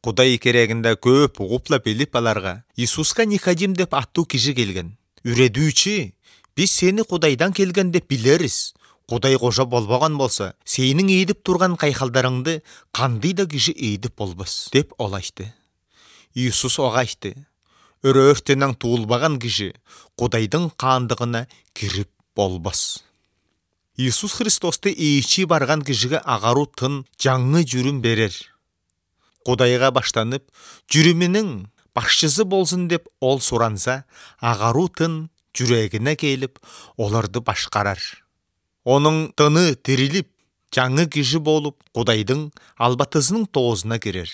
Кудай керегинде көп угупла билип аларга Иисуска Никодим деп аттуу киши келген. Үредүүчү, биз сени Кудайдан келген деп билерис. Кудай кожо болбогон болсо, сенин ийдип турган кайхалдарыңды кандый да киши ийдип болбос деп ол айтты. Иисус ага айтты: өрөөртөнөн туулбаган киши Кудайдын каандыгына кирип болбос. Иисус Христосту ичи барган кишиге агаруу тын, жаңы жүрүм берер. Кудайга баштанып, жүрүмүнүн башчысы болсун деп ол суранса, агаруу тын жүрөгүнө келип, оларды башкарар. Онун тыны тирилип, жаңы киши болуп, Кудайдын албатысынын тоозуна кирер.